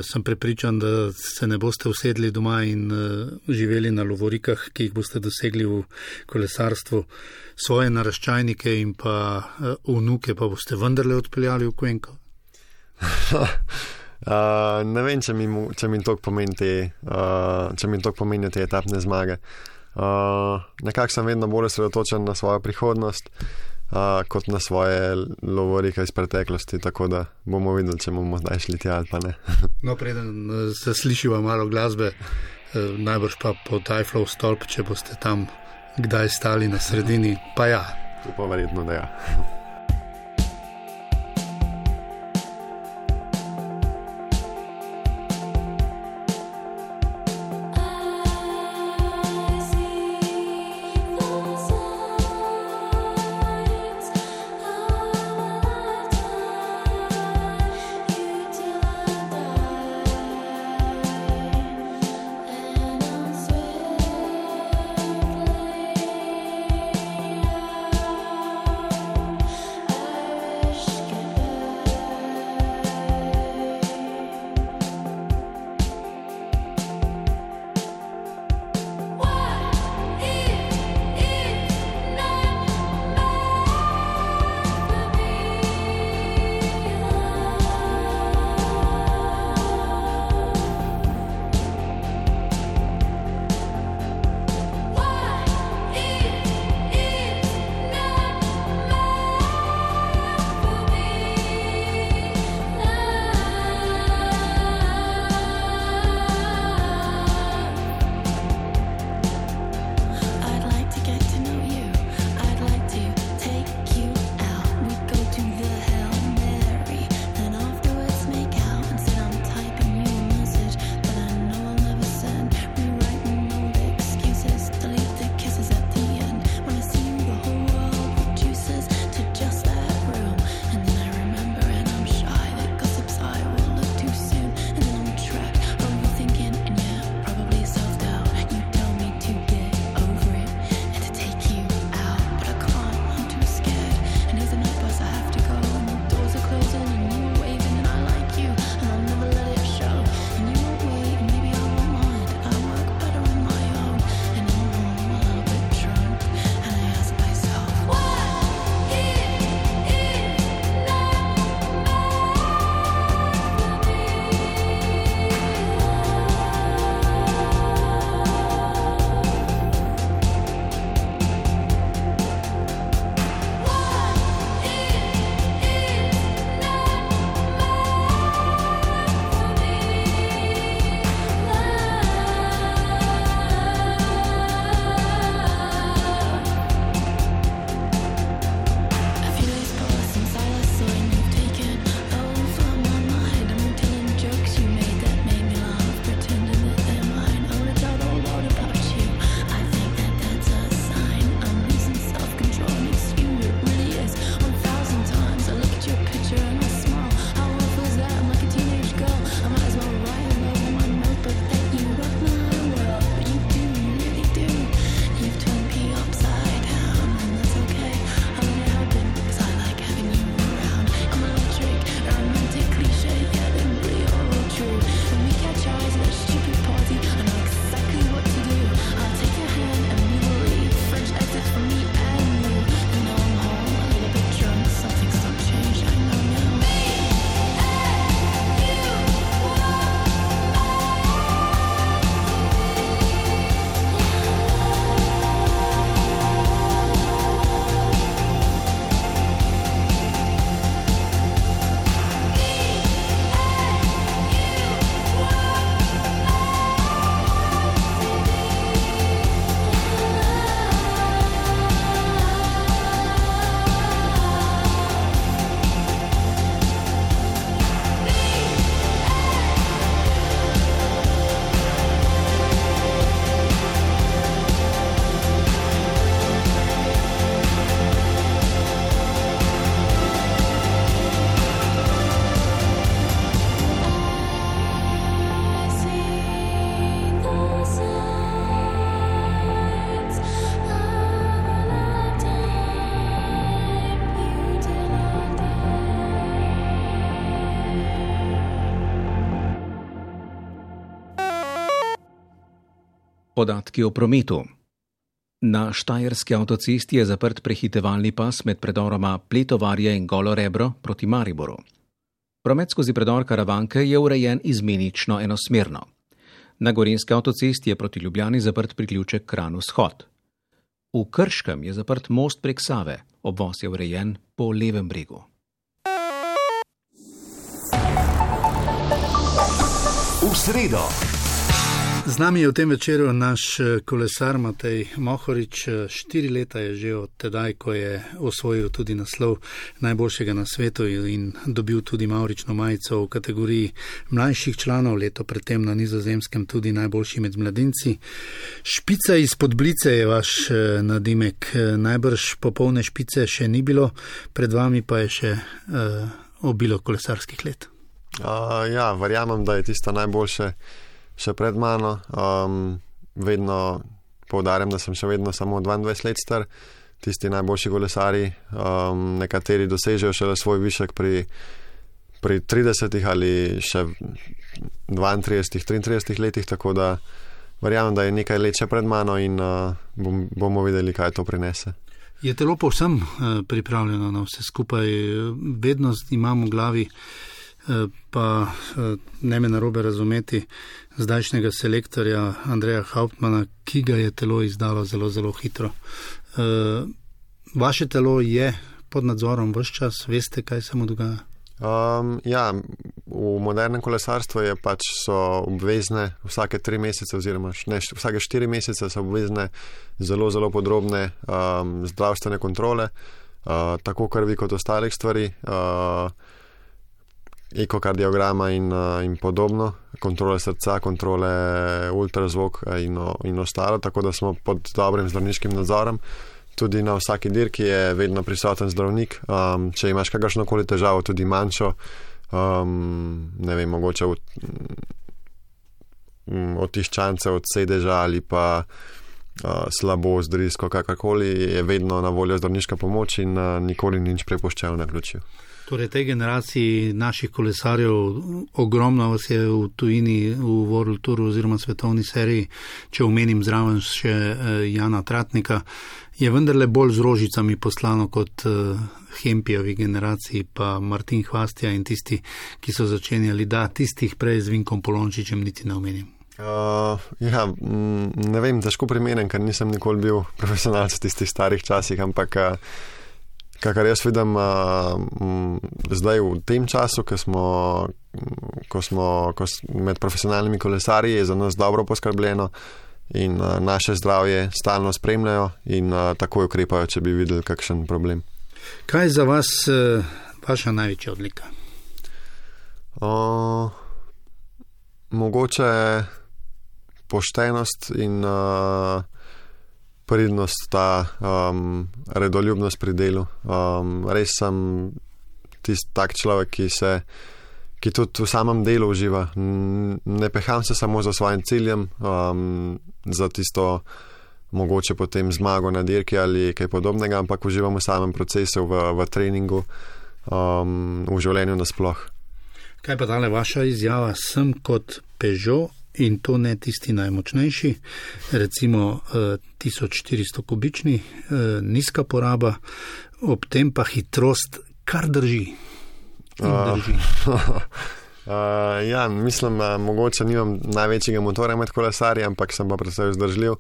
Sem prepričan, da se ne boste usedli doma in živeli na lovorikah, ki jih boste dosegli v kolesarstvu. Svoje naraščajnike in pa vnuke pa boste vendarle odpeljali v Cuenco? Ne vem, če mi to pomenijo te etapne zmage. nekako sem vedno bolj osredotočen na svojo prihodnost, kot na svoje lovorike iz preteklosti, tako da bomo videli, če bomo zdaj šli tja ali pa ne. No, preden se slišiva malo glasbe, najbrž pa pod Eifflov stolp, če boste tam kdaj stali na sredini, pa ja. To pa verjetno, da ja. Podatki o prometu. Na štajerski avtocesti je zaprt prehitevalni pas med predoroma Pletovarje in Golo Rebro proti Mariboru. Promet skozi predor Karavanke je urejen izmenično enosmerno. Na gorenjski avtocesti je proti Ljubljani zaprt priključek Kranj-Vzhod. V Krškem je zaprt most prek Save, obvoz je urejen po levem bregu. V sredo. Z nami je v tem večeru naš kolesar Matej Mohorič. 4 leta je že od tedaj, ko je osvojil tudi naslov najboljšega na svetu in dobil tudi mavrično majico v kategoriji mlajših članov, leto predtem na Nizozemskem tudi najboljši med mladinci. Špica izpod Blice je vaš nadimek. Najbrž popolne špice še ni bilo, pred vami pa je še obilo kolesarskih let. Ja, verjamem, da je tista najboljše še pred mano. Vedno poudarjam, da sem še vedno samo 22 let star. Tisti najboljši kolesari, nekateri dosežejo šele svoj višek pri 30 ali še 32, 33 letih, tako da verjamem, da je nekaj let še pred mano in bomo videli, kaj to prinese. Je telo povsem pripravljeno na vse skupaj? Vedno imam v glavi, pa ne me narobe razumeti, zdajšnjega selektorja Andreja Hauptmana, ki ga je telo izdalo zelo, zelo hitro. Vaše telo je pod nadzorom ves čas, veste, kaj se mu dogaja? Ja, v modernem kolesarstvu so obvezne vsake 3 mesece oziroma vsake 4 mesece so obvezne zelo, zelo podrobne zdravstvene kontrole, tako krvi kot ostalih stvari, ekokardiograma in podobno, kontrole srca, kontrole ultrazvok in ostalo, tako da smo pod dobrim zdravniškim nadzorom. Tudi na vsaki dirki je vedno prisoten zdravnik. Če imaš kakršnokoli težavo, tudi manjšo, ne vem, mogoče od tiščance, od sedeža ali pa slabost, drisko, kakorkoli, je vedno na voljo zdravniška pomoč in nikoli nič prepuščajo naključju. Torej, tej generaciji naših kolesarjev, ogromno vas je v tujini, v World Touru oziroma svetovni seriji, če omenim zraven še Jana Tratnika, je vendarle bolj z rožicami poslano kot Hempijevi generaciji, pa Martin Hvastija in tisti, ki so začenjali, da tistih prej z Vinkom Polončičem niti ne omenim. Ja, ne vem, težko primerjam, ker nisem nikoli bil profesionalc v tistih starih časih, ampak kakor jaz vidim zdaj v tem času, ko smo med profesionalnimi kolesarji, je za nas dobro poskrbljeno in naše zdravje stalno spremljajo in takoj ukrepajo, če bi videli kakšen problem. Kaj je za vas vaša največja odlika? Mogoče poštenost in pridnost, ta redoljubnost pri delu. Res sem tak človek, ki tudi v samem delu uživa. Ne peham se samo za svojim ciljem, za tisto mogoče potem zmago na dirki ali kaj podobnega, ampak uživam v samem procesu, v treningu, v življenju nasploh. Kaj pa tale vaša izjava? Sem kot Peugeot in to ne tisti najmočnejši, recimo 1400 kubični, nizka poraba, ob tem pa hitrost, kar drži. Ja, mislim, mogoče nimam največjega motorja med kolesarji, ampak sem pa predvsem vzdržljiv.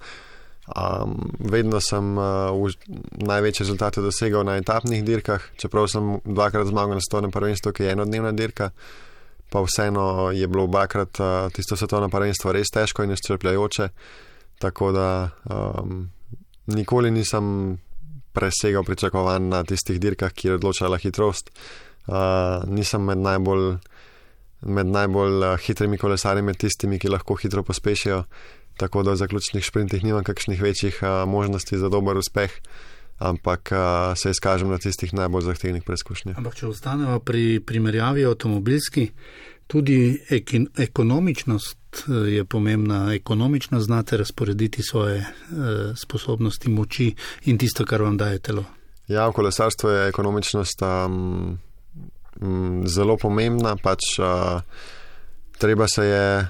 Vedno sem največje rezultate dosegal na etapnih dirkah, čeprav sem 2-krat zmagal na svetovnem prvenstvu, ki je enodnevna dirka, pa vseeno je bilo 2-krat tisto svetovno prvenstvo res težko in izčrpljajoče, tako da nikoli nisem presegal pričakovanj na tistih dirkah, kjer je odločala hitrost. Nisem med najbolj hitrimi kolesarji, med tistimi, ki lahko hitro pospešijo, tako da v zaključnih šprintih nimam kakšnih večjih možnosti za dober uspeh, ampak se izkažem na tistih najbolj zahtevnih preizkušnjah. Ampak če ostanemo pri primerjavi avtomobilski, tudi ekonomičnost je pomembna. Ekonomično znate razporediti svoje sposobnosti, moči in tisto, kar vam daje telo. Ja, v kolesarstvu je ekonomičnost zelo pomembna, pač treba se je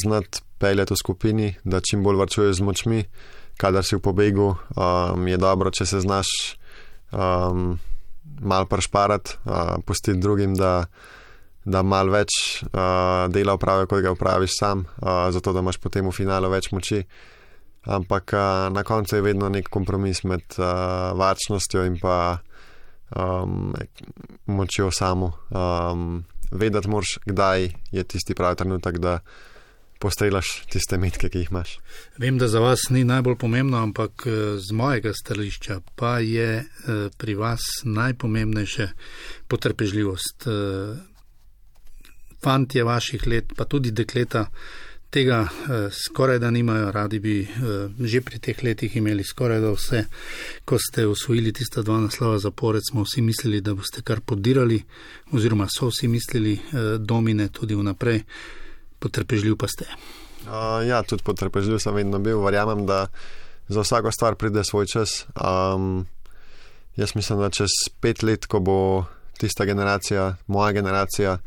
znati peljati v skupini, da čim bolj varčuješ z močmi. Kadar si v pobegu, je dobro, če se znaš malo prešparati, pustiti drugim, da malo več dela opravijo, kot ga opraviš sam, zato da imaš potem v finalu več moči. Ampak na koncu je vedno nek kompromis med varčnostjo in pa močjo samo. Vedeti moraš, kdaj je tisti pravi trenutek, da postrelaš tiste metke, ki jih imaš. Vem, da za vas ni najbolj pomembno, ampak z mojega stališča pa je pri vas najpomembnejše potrpežljivost. Fantje vaših let, pa tudi dekleta, tega skoraj da nimajo, radi bi že pri teh letih imeli skoraj da vse. Ko ste osvojili tista 2 naslova zapored, smo vsi mislili, da boste kar podirali, oziroma so vsi mislili domine tudi vnaprej. Potrpežljiv pa ste. Ja, tudi potrpežljiv sem vedno bil. Verjamem, da za vsako stvar pride svoj čas. Jaz mislim, da čez 5 let, ko bo tista generacija, moja generacija,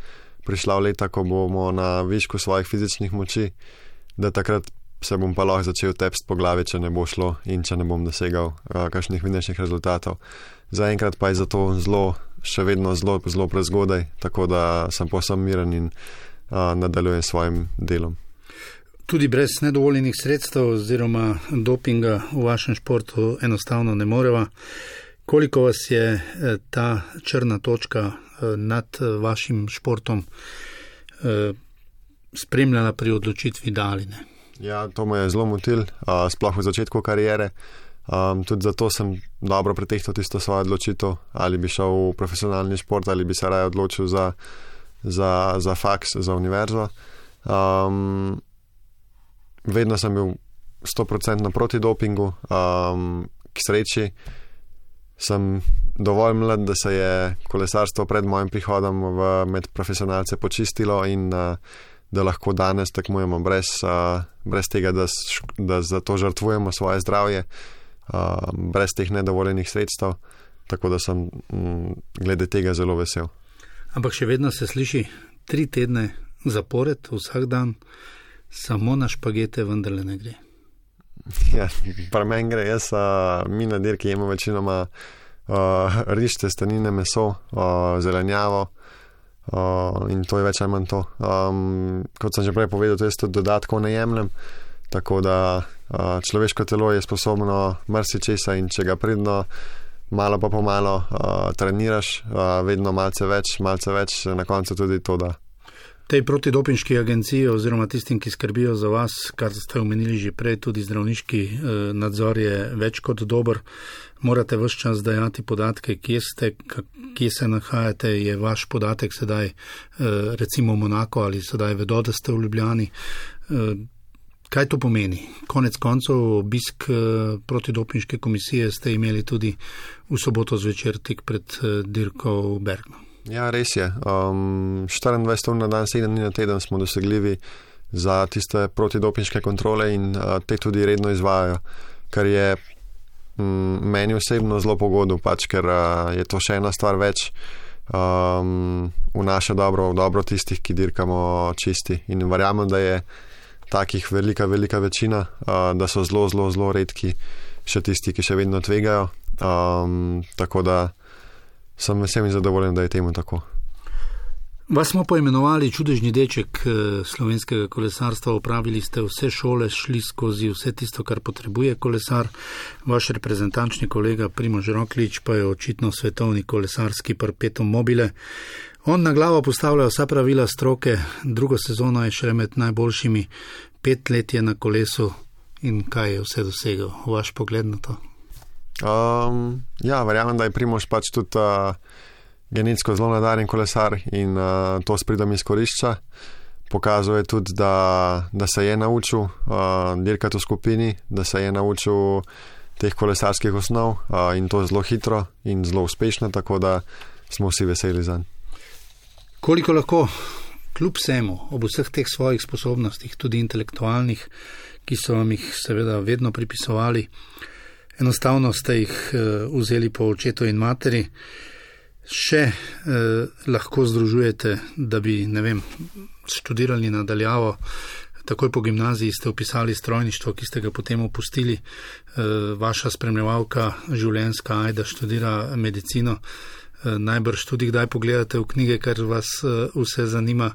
prišla v leta, ko bomo na višku svojih fizičnih moči, da takrat se bom pa lahko začel tepst po glavi, če ne bo šlo in če ne bom dosegal kakšnih vidnejših rezultatov. Zaenkrat pa je zato še vedno zelo prezgodaj, tako da sem povsem miren in nadaljujem svojim delom. Tudi brez nedovoljenih sredstev oziroma dopinga v vašem športu enostavno ne moreva. Koliko vas je ta črna točka nad vašim športom spremljala pri odločitvi da ali ne? Ja, to me je zelo motil, sploh v začetku kariere. Tudi zato sem dobro pretehtal tisto svojo odločitev, ali bi šel v profesionalni šport ali bi se raje odločil za faks, za univerzo. Vedno sem bil 100% proti dopingu, k sreči sem dovolj mlad, da se je kolesarstvo pred mojim prihodom med profesionalce počistilo in da lahko danes tekmujemo brez tega, da za to žrtvujemo svoje zdravje, brez teh nedovoljenih sredstev, tako da sem glede tega zelo vesel. Ampak še vedno se sliši 3 tedne zapored, vsak dan, samo na špagete vendarle ne gre. Ja, pri meni gre, mi na dirki jemo večinoma riž, testenine, meso, zelenjavo in to je več ali manj to. Kot sem že prej povedal, to jaz tudi dodatkov ne jemljem, tako da človeško telo je sposobno marsičesa in če ga pridno malo pa pomalo treniraš, vedno malce več, na koncu tudi to da. Tej protidopinški agenciji oziroma tistim, ki skrbijo za vas, kar ste omenili že prej, tudi zdravniški nadzor je več kot dober. Morate ves čas dajati podatke, kje ste, kje se nahajate, je vaš podatek sedaj recimo Monako ali sedaj vedo, da ste v Ljubljani. Kaj to pomeni? Konec koncev obisk protidopinške komisije ste imeli tudi v soboto zvečer tik pred dirko v Bergnu. Ja, res je. 24 ur na dan, 7 dni na teden smo dosegljivi za tiste protidopinške kontrole in te tudi redno izvajajo, kar je meni osebno zelo pogodil, ker je to še ena stvar več v naše dobro, v dobro tistih, ki dirkamo čisti. In verjamem, da je takih velika večina, da so zelo redki še tisti, ki še vedno tvegajo. Tako da sem vesel in zadovoljen, da je temu tako. Vas smo poimenovali čudežni deček slovenskega kolesarstva, opravili ste vse šole, šli skozi vse tisto, kar potrebuje kolesar. Vaš reprezentančni kolega Primož Roglič pa je očitno svetovni kolesarski perpetuum mobile. On na glavo postavlja vsa pravila stroke, drugo sezono je šele med najboljšimi, 5 let je na kolesu in kaj je vse dosegel? Vaš pogled na to? Ja, verjamem, da je Primož pač tudi genetsko zelo nadarjen kolesar in to s pridom izkorišča. Pokazuje tudi, da se je naučil dirkati v skupini, da se je naučil teh kolesarskih osnov in to zelo hitro in zelo uspešno, tako da smo vsi veseli zanj. Koliko lahko kljub vsemu, ob vseh teh svojih sposobnostih, tudi intelektualnih, ki so vam jih seveda vedno pripisovali, enostavno ste jih vzeli po očetu in materi, še lahko združujete, da bi, študirali nadaljavo, takoj po gimnaziji ste vpisali strojništvo, ki ste ga potem opustili, vaša spremljevalka življenjska Ajda študira medicino. najbrž tudi kdaj pogledate v knjige, kar vas vse zanima.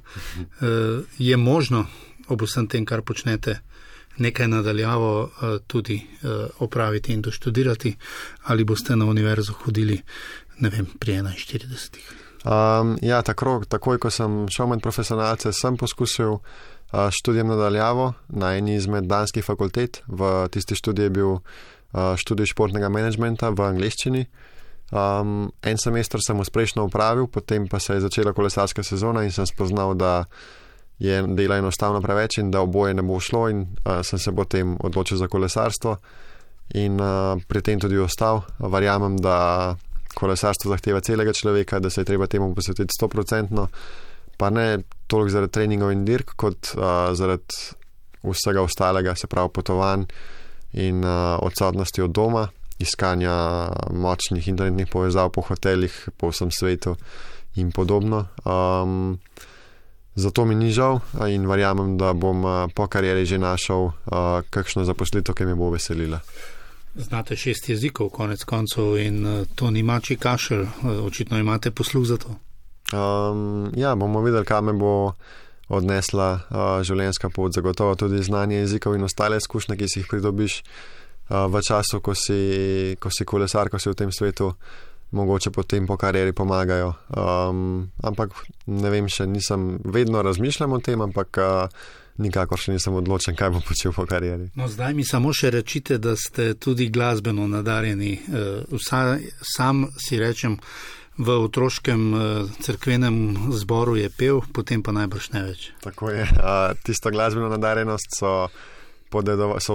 Je možno ob vsem tem, kar počnete, nekaj nadaljavo tudi opraviti in doštudirati, ali boste na univerzo hodili, ne vem, pri 41? Ja, takoj, ko sem šel med profesionalce, sem poskusil študijem nadaljavo na eni izmed danskih fakultet. V tisti študiji je bil študij športnega menedžmenta v angleščini. En semester sem uspešno opravil, potem pa se je začela kolesarska sezona in sem spoznal, da je dela enostavno preveč in da oboje ne bo šlo, in sem se potem odločil za kolesarstvo in pri tem tudi ostal. Verjamem, da kolesarstvo zahteva celega človeka, da se je treba temu posvetiti 100%, pa ne toliko zaradi treningov in dirk, kot zaradi vsega ostalega, se pravi potovanj in odsotnosti od doma, iskanja močnih internetnih povezav po hotelih po vsem svetu in podobno. Zato mi ni žal in verjamem, da bom po karieri že našel kakšno zaposlitev, ki me bo veselila. Znate 6 jezikov, konec koncev, in to ni mačji kašelj. Očitno imate posluh za to. Ja, bomo videli, kaj me bo odnesla življenjska pot. Zagotovo tudi znanje jezikov in ostale izkušnje, ki si jih pridobiš v času, ko si kolesar, ko si v tem svetu, mogoče potem po karieri pomagajo. Ampak ne vem, še nisem, vedno razmišljam o tem, ampak nikakor še nisem odločen, kaj bom počel po karieri. No, zdaj mi samo še rečite, da ste tudi glasbeno nadarjeni. Sam si rečem, v otroškem cerkvenem zboru je pel, potem pa najbrž ne več. Tako je. Tisto glasbeno nadarjenost so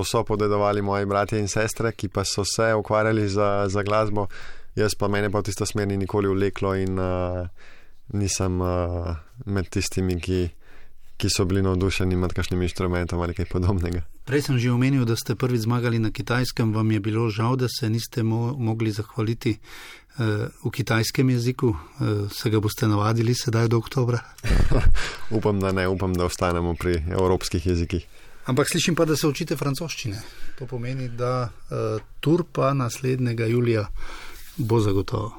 vso podedovali moji bratje in sestre, ki pa so se ukvarjali za glasbo. Jaz pa mene pa v tisto smer ni nikoli vleklo in nisem med tistimi, ki so bili navdušeni nad kakšnim inštrumentom ali kaj podobnega. Prej sem že omenil, da ste prvič zmagali na Kitajskem. Vam je bilo žal, da se niste mogli zahvaliti v kitajskem jeziku? Se ga boste navadili sedaj do oktobra? Upam, da ne. Upam, da ostanemo pri evropskih jezikih. Ampak slišim pa, da se učite francoščine. To pomeni, da tur pa naslednjega julija bo zagotovo.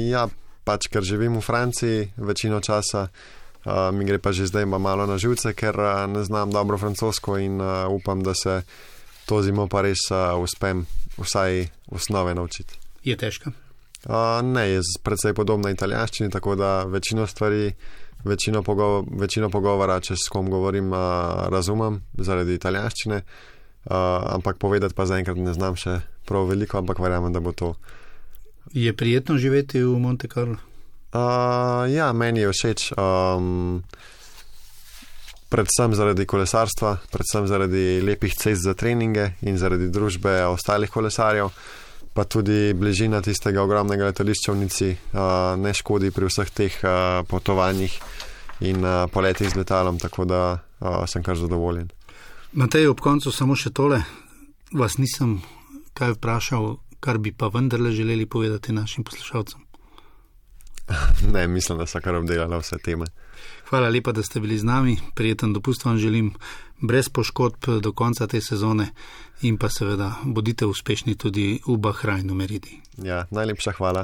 Ja, pač, ker živim v Franciji večino časa, mi gre pa že zdaj malo na živce, ker ne znam dobro francosko in upam, da se to zimo pa res uspem vsaj osnove naučiti. Je težko? Ne, je predvsej podobna italijanščini, tako da večino stvari, večino pogovora, če s kom govorim, razumem zaradi italijanščine, ampak povedati pa zaenkrat ne znam še prav veliko, ampak verjamem, da bo to. Je prijetno živeti v Monte Carlo? Ja, meni je všeč. Predvsem zaradi kolesarstva, predvsem zaradi lepih cest za treninge in zaradi družbe ostalih kolesarjev, pa tudi bližina tistega ogromnega letališča v Nici ne škodi pri vseh teh potovanjih in poletih z letalom, tako da sem kar zadovoljen. Matej, ob koncu samo še tole. Vas nisem kaj vprašal, kar bi pa vendarle želeli povedati našim poslušalcem? Ne, mislim, da so kar obdelala vse teme. Hvala lepa, da ste bili z nami. Prijeten dopust vam želim, brez poškodb do konca te sezone in pa seveda bodite uspešni tudi v Bahrajnu Meridi. Ja, najlepša hvala.